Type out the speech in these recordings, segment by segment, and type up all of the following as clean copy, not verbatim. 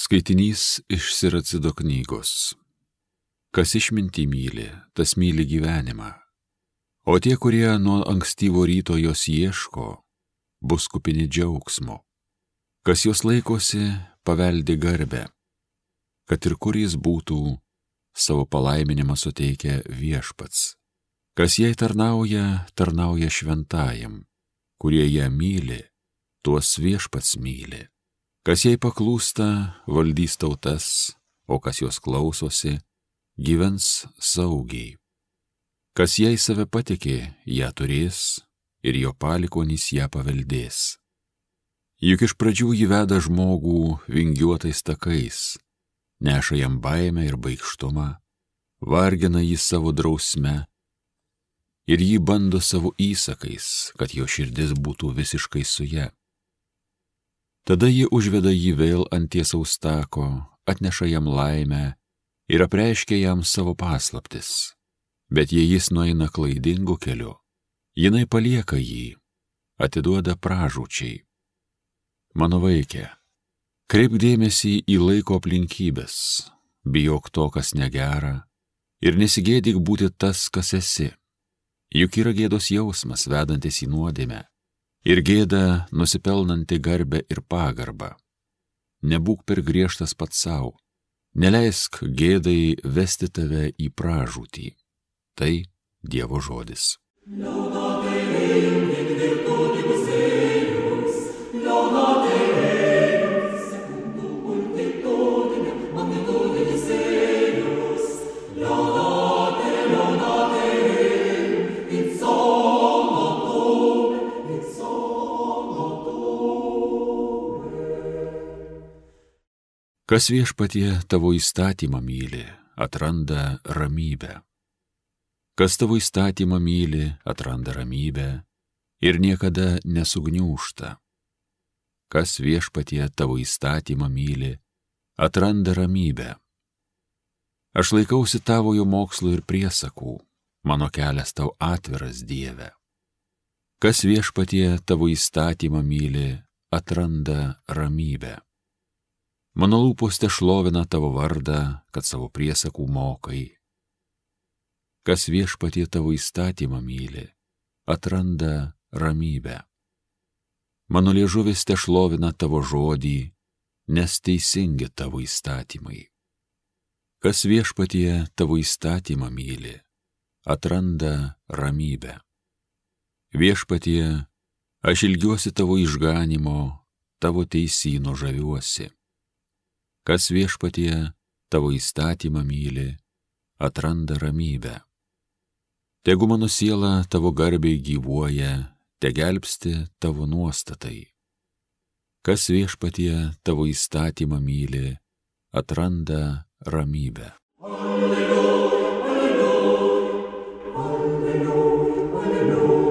Skaitinys iš Siracido knygos. Kas išmintį myli, tas myli gyvenimą, o tie, kurie nuo ankstyvo ryto jos ieško, bus kupini džiaugsmo. Kas jos laikosi, paveldi garbę, kad ir kur jis būtų, savo palaiminimą suteikia Viešpats. Kas jai tarnauja, tarnauja šventajam, kurie ją myli, tuos Viešpats myli. Kas jai paklūsta, valdys tautas, o kas jos klausosi, gyvens saugiai. Kas jai save patikė, ją turės, ir jo palikuonys ją paveldės. Juk iš pradžių jį veda žmogų vingiuotais takais, neša jam baimę ir baikštumą, vargina jį savo drausme ir jį bando savo įsakais, kad jo širdis būtų visiškai su ja. Tada ji užveda jį vėl ant tiesaus tako, atneša jam laimę ir apreiškia jam savo paslaptis. Bet jei jis nueina klaidingu keliu, jinai palieka jį, atiduoda pražūčiai. Mano vaike, kreipk dėmesį į laiko aplinkybės, bijok to, kas negera, ir nesigėdyk būti tas, kas esi. Juk yra gėdos jausmas, vedantis į nuodėmę, ir gėda nusipelnanti garbę ir pagarbą. Nebūk per griežtas pats savo, neleisk gėdai vesti tave į pražūtį. Tai Dievo žodis. Kas Viešpatie tavo įstatymą myli, atranda ramybę. Kas tavo įstatymą myli, atranda ramybę ir niekada nesugniūžta. Kas Viešpatie tavo įstatymą myli, atranda ramybę. Aš laikausi tavojo mokslo ir priesakų, mano kelias tau atviras, Dieve. Kas Viešpatie tavo įstatymą myli, atranda ramybę. Mano lūpos tešlovina tavo vardą, kad savo priesakų mokai. Kas Viešpatie tavo įstatymą myli, atranda ramybę. Mano liežuvis tešlovina tavo žodį, nes teisingi tavo įstatymai. Kas Viešpatie tavo įstatymą myli, atranda ramybę. Viešpatie, aš ilgiuosi tavo išganimo, tavo teisyno žaviuosi. Kas Viešpatie tavo įstatymą myli, atranda ramybę. Tegu mano siela tavo garbiai gyvuoja, te gelbsti tavo nuostatai. Kas Viešpatie tavo įstatymą myli, atranda ramybę. Alleluja, alleluja, alleluja.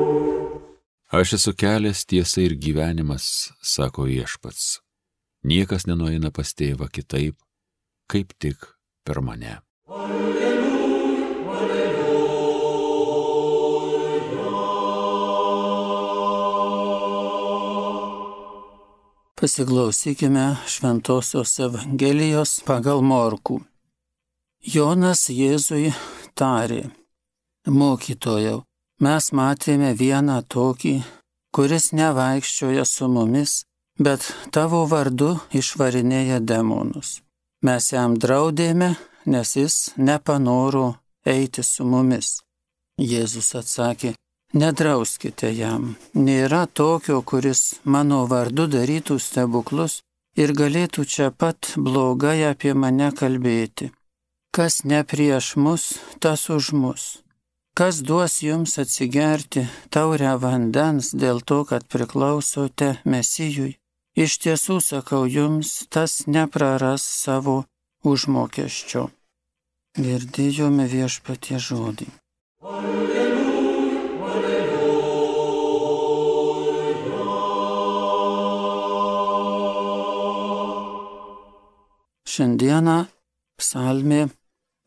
Aš esu kelias, tiesa ir gyvenimas, sako Viešpats. Niekas nenueina pas tėvą kitaip, kaip tik per mane. Alleluja, alleluja. Pasiklausykime Šventosios Evangelijos pagal Morkų. Jonas Jėzui tarė: Mokytojau, mes matėme vieną tokį, kuris nevaikščioja su mumis, bet tavo vardu išvarinėja demonus. Mes jam draudėme, nes jis nepanoro eiti su mumis. Jėzus atsakė: Nedrauskite jam. Nėra tokio, kuris mano vardu darytų stebuklus ir galėtų čia pat blogai apie mane kalbėti. Kas ne prieš mus, tas už mus. Kas duos jums atsigerti taurę vandens dėl to, kad priklausote Mesijui? Iš tiesų sakau jums, tas nepraras savo užmokesčio. Girdėjome Viešpatie žodį. Alleluja, alleluja. Šiandieną psalmė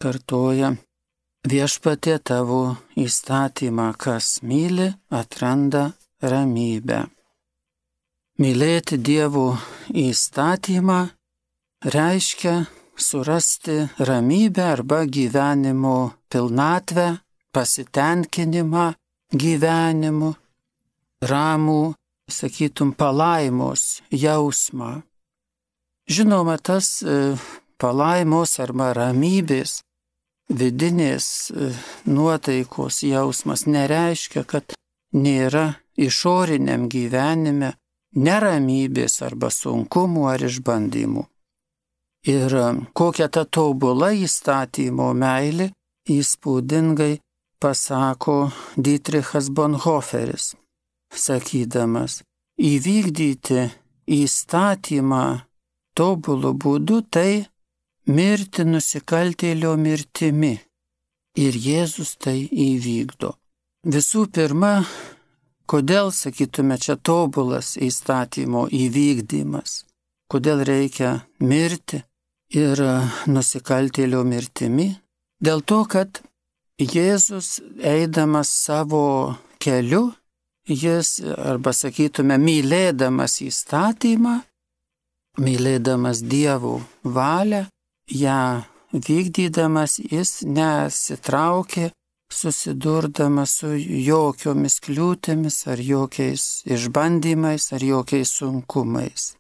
kartoja: Viešpatie tavo įstatymą, kas myli, atranda ramybę. Mylėti Dievo įstatymą reiškia surasti ramybę arba gyvenimo pilnatvę, pasitenkinimą gyvenimu, ramų, sakytum, palaimos jausmą. Žinoma, tas palaimos arba ramybės, vidinės nuotaikos jausmas nereiškia, kad nėra išoriniam gyvenime neramybės arba sunkumų ar išbandymų. Ir kokia ta tobula įstatymo meilė įspūdingai pasako Dietrichas Bonhoefferis, sakydamas, įvykdyti įstatymą tobulų būdų tai mirti nusikaltėlio mirtimi. Ir Jėzus tai įvykdo. Visų pirma, kodėl, sakytume, čia tobulas įstatymo įvykdymas? Kodėl reikia mirti ir nusikaltėlio mirtimi? Dėl to, kad Jėzus, eidamas savo keliu, jis, arba sakytume, mylėdamas įstatymą, mylėdamas Dievo valią, ją vykdydamas, jis nesitraukė, susidurdamas su jokiomis kliūtimis ar jokiais išbandymais ar jokiais sunkumais.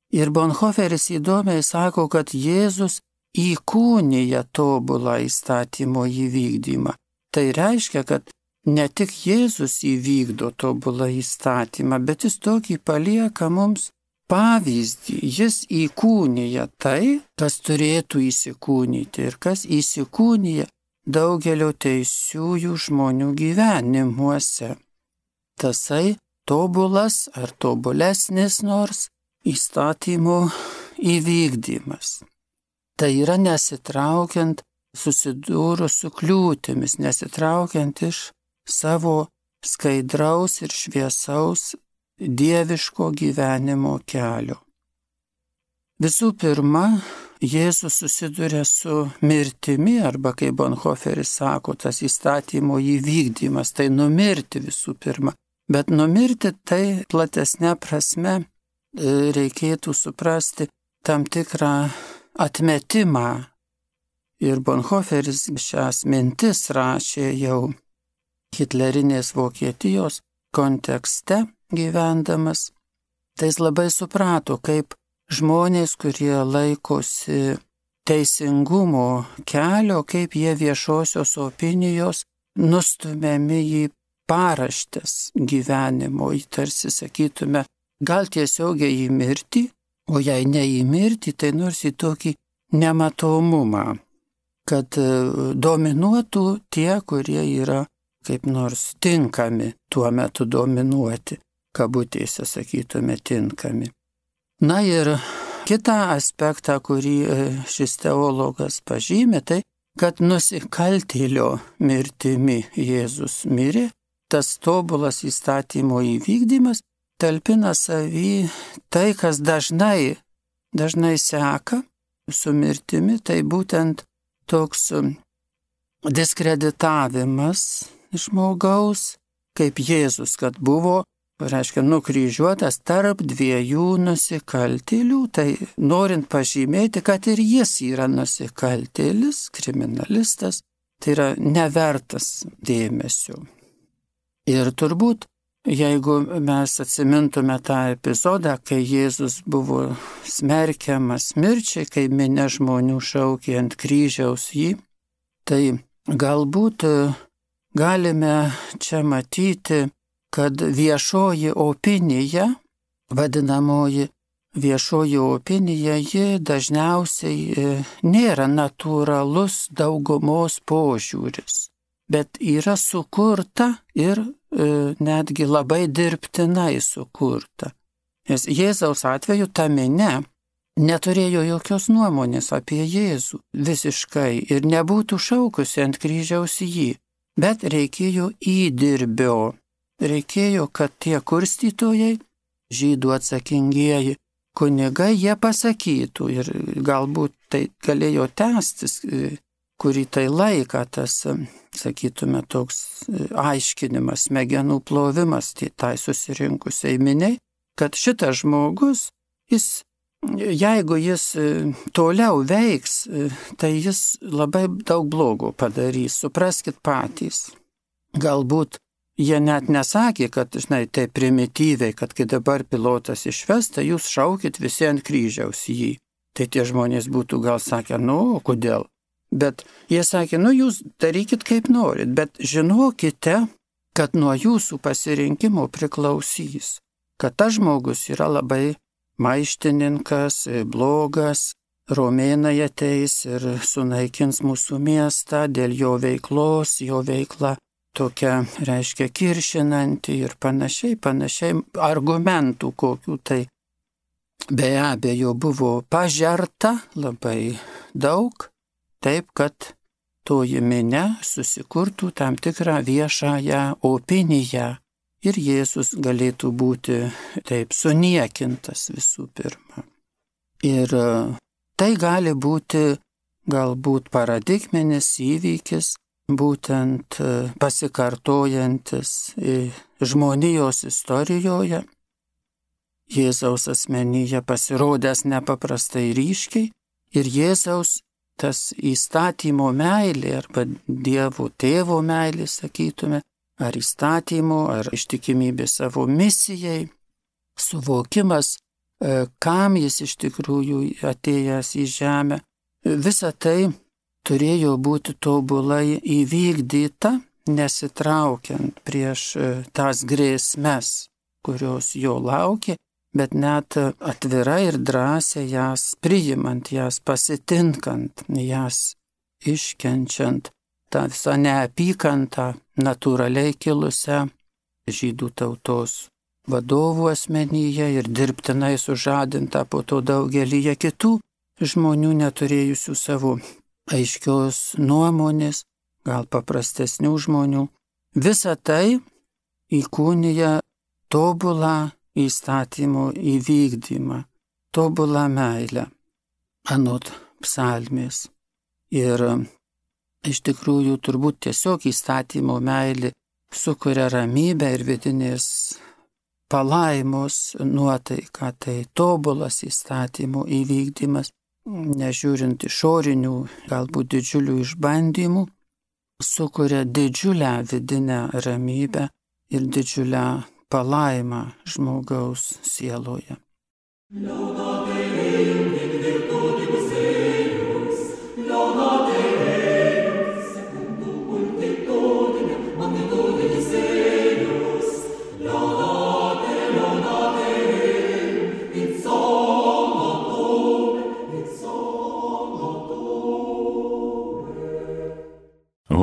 Ir Bonhoefferis įdomiai sako, kad Jėzus įkūnija tobulą įstatymo įvykdymą. Tai reiškia, kad ne tik Jėzus įvykdo tobulą įstatymą, bet jis tokį palieka mums pavyzdį. Jis įkūnija tai, kas turėtų įsikūnyti ir kas įsikūnija daugelio teisiųjų žmonių gyvenimuose. Tasai tobulas ar tobulesnis nors įstatymo įvykdymas. Tai yra nesitraukiant susidūrus su kliūtimis, nesitraukiant iš savo skaidraus ir šviesaus dieviško gyvenimo kelio. Visų pirma, Jėzus susiduria su mirtimi, arba kaip Bonhoefferis sako, tas įstatymo įvykdymas, tai numirti visų pirma. Bet numirti tai platesnė prasme reikėtų suprasti tam tikrą atmetimą. Ir Bonhoefferis šias mintis rašė jau hitlerinės Vokietijos kontekste gyvendamas. Tai jis labai suprato, kaip žmonės, kurie laikosi teisingumo kelio, kaip jie viešosios opinijos nustumiami į paraštės gyvenimo, į tarsi sakytume, gal tiesiogiai į mirtį, o jei ne į mirtį, tai nors į tokį nematomumą, kad dominuotų tie, kurie yra kaip nors tinkami tuo metu dominuoti, kabutėse sakytume tinkami. Na ir kitą aspektą, kurį šis teologas pažymė, tai, kad nusikaltėlio mirtimi Jėzus mirė, tas tobulas įstatymo įvykdymas talpina savy tai, kas dažnai seka su mirtimi, tai būtent toks diskreditavimas žmogaus, kaip Jėzus, kad buvo, reiškia, nukryžiuotas tarp dviejų nusikaltėlių, tai norint pažymėti, kad ir jis yra nusikaltėlis, kriminalistas, tai yra nevertas dėmesio. Ir turbūt, jeigu mes atsimintume tą epizodą, kai Jėzus buvo smerkiamas mirčiai, kai minia žmonių šaukė ant kryžiaus jį, tai galbūt galime čia matyti, kad viešoji opinija, vadinamoji viešoji opinija, ji dažniausiai nėra natūralus daugumos požiūris, bet yra sukurta ir netgi labai dirbtinai sukurta. Nes Jėzaus atveju ta minia neturėjo jokios nuomonės apie Jėzų visiškai ir nebūtų šaukusi ant kryžiaus jį, bet reikėjo įdirbio. Reikėjo, kad tie kurstytojai, žydų atsakingieji kunigai, jie pasakytų ir galbūt tai galėjo tęstis, kurį tai laiką tas, sakytume, toks aiškinimas, smegenų plovimas tai susirinkusiai miniai, kad šitas žmogus, jis jeigu jis toliau veiks, tai jis labai daug blogo padarys, supraskit patys. Galbūt jie net nesakė, kad, žinai, tai primityviai, kad kai dabar pilotas išves, tai jūs šaukit visi ant kryžiaus jį. Tai tie žmonės būtų gal sakę, kodėl? Bet jie sakė, jūs darykit kaip norit, bet žinokite, kad nuo jūsų pasirinkimo priklausys, kad tas žmogus yra labai maištininkas, blogas, romėnai ateis ir sunaikins mūsų miestą dėl jo veiklos, jo veikla tokia, reiškia, kiršinanti ir panašiai, argumentų kokių tai be abejo buvo pažerta labai daug, taip kad toji minia susikurtų tam tikrą viešąją opiniją ir Jėzus galėtų būti taip suniekintas visų pirma. Ir tai gali būti galbūt paradigminis įvykis, būtent pasikartojantis žmonijos istorijoje, Jėzaus asmenyje pasirodęs nepaprastai ryškiai ir Jėzaus tas įstatymo meilė arba Dievo tėvo meilė, sakytume, ar įstatymo, ar ištikimybė savo misijai, suvokimas, kam jis iš tikrųjų atėjęs į žemę, visa tai turėjo būti tobulai įvykdyta, nesitraukiant prieš tas grėsmes, kurios jo laukė, bet net atvirai ir drąsiai jas priimant, jas pasitinkant, jas iškenčiant, tą visą neapykantą natūraliai kilusią žydų tautos vadovų asmenyje ir dirbtinai sužadintą po to daugelyje kitų žmonių neturėjusių savo aiškios nuomonės, gal paprastesnių žmonių. Visa tai įkūnija tobulą įstatymo įvykdymą, tobulą meilę, anot psalmės. Ir iš tikrųjų turbūt tiesiog įstatymo meilė sukuria ramybę ir vidinės palaimos nuotaiką, tai tobulas įstatymo įvykdymas, nežiūrint išorinių, galbūt didžiulių išbandymų, sukuria didžiulę vidinę ramybę ir didžiulę palaimą žmogaus sieloje.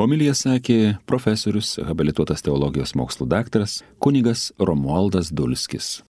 Homiliją sakė profesorius, habilituotas teologijos mokslų daktaras kunigas Romualdas Dulskis.